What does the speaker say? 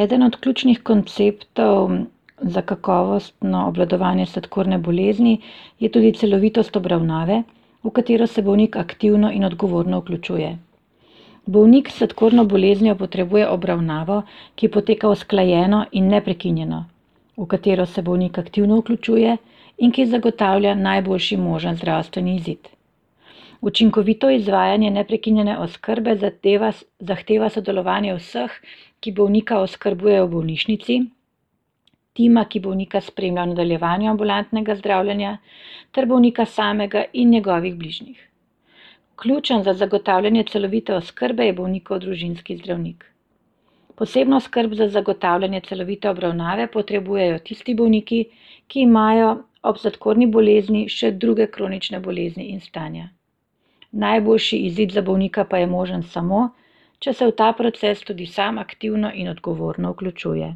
Eden od ključnih konceptov za kakovostno obvladovanje sladkorne bolezni je tudi celovitost obravnave, v katero se bolnik aktivno in odgovorno vključuje. Bolnik s sladkorno boleznijo potrebuje obravnavo, ki poteka usklajeno in neprekinjeno, v katero se bolnik aktivno vključuje in ki zagotavlja najboljši možen zdravstveni izid. Učinkovito izvajanje neprekinjene oskrbe zahteva sodelovanje vseh, ki bolnika oskrbujejo v bolnišnici, tima, ki bolnika spremlja v nadaljevanju ambulantnega zdravljenja, ter bolnika samega in njegovih bližnjih. Ključen za zagotavljanje celovite oskrbe je bolnikov družinski zdravnik. Posebno skrb za zagotavljanje celovite obravnave potrebujejo tisti bolniki, ki imajo ob sladkorni bolezni še druge kronične bolezni in stanja. Najboljši izid za bolnika pa je možen samo, če se v ta proces tudi sam aktivno in odgovorno vključuje.